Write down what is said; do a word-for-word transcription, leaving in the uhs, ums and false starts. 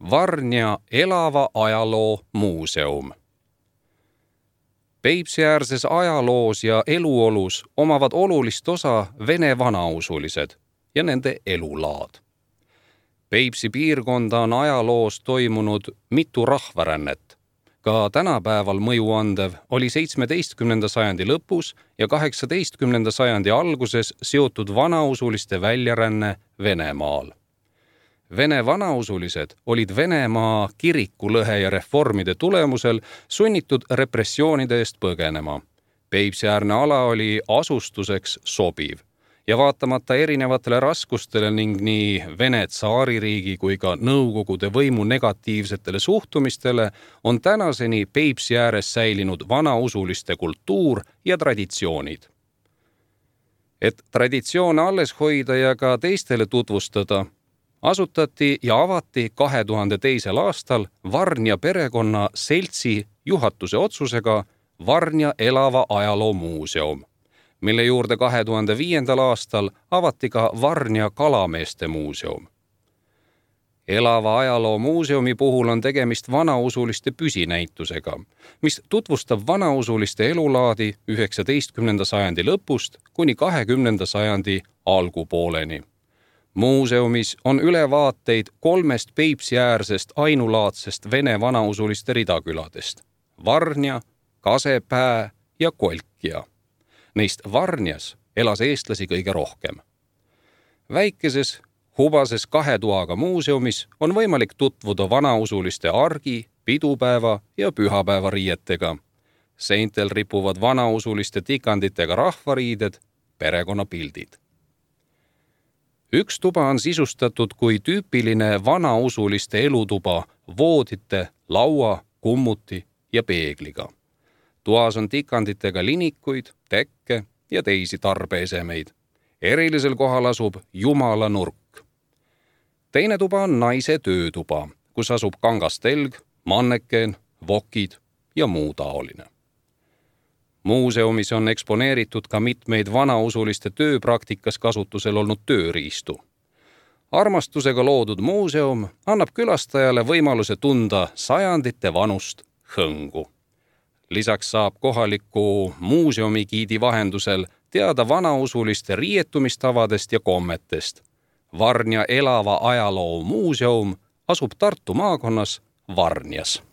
Varnja elava ajaloo muuseum. Peipsiäärses ajaloos ja eluolus omavad olulist osa vene vanausulised ja nende elulaad. Peipsi piirkonda on ajaloos toimunud mitu rahvarännet. Ka tänapäeval mõjuandev oli seitsmeteistkümnenda sajandi lõpus ja kaheksateistkümnenda sajandi alguses seotud vanausuliste väljaränne Venemaal. Vene vanausulised olid Venemaa kirikulõhe ja reformide tulemusel sunnitud repressioonide eest põgenema. Peipsiäärne ala oli asustuseks sobiv ja vaatamata erinevatele raskustele ning nii Vene tsaaririigi kui ka Nõukogude võimu negatiivsetele suhtumistele on tänaseni Peipsi ääres säilinud vanausuliste kultuur ja traditsioonid. Et traditsioone alles hoida ja ka teistele tutvustada, asutati ja avati kahe tuhande teisel aastal Varnja perekonna seltsi juhatuse otsusega Varnja elava ajaloo muuseum, mille juurde kahe tuhande viiendal aastal avati ka Varnja kalameeste muuseum. Elava ajaloo muuseumi puhul on tegemist vanausuliste püsinäitusega, mis tutvustab vanausuliste elulaadi üheksateistkümnenda sajandi lõpust kuni kahekümnenda sajandi algupooleni. Muuseumis on ülevaateid kolmest Peipsiäärsest ainulaadsest vene vanausuliste ridaküladest – Varnja, Kasepää ja Kolkja. Neist Varnjas elas eestlasi kõige rohkem. Väikeses, hubases kahe toaga muuseumis on võimalik tutvuda vanausuliste argi, pidupäeva ja pühapäeva riietega. Seintel ripuvad vanausuliste tikanditega rahvariided, perekonnapildid. Üks tuba on sisustatud kui tüüpiline vanausuliste elutuba voodite, laua, kummuti ja peegliga. Toas on tikanditega linikuid, tekke ja teisi tarbeesemeid. Erilisel kohal asub Jumala nurk. Teine tuba on naise töötuba, kus asub kangastelg, mannekeen, vokid ja muu taoline. Muuseumis on eksponeeritud ka mitmeid vanausuliste tööpraktikas kasutusel olnud tööriistu. Armastusega loodud muuseum annab külastajale võimaluse tunda sajandite vanust hõngu. Lisaks saab kohaliku muuseumigiidi vahendusel teada vanausuliste riietumistavadest ja kommetest. Varnja elava ajaloo muuseum asub Tartu maakonnas Varnjas.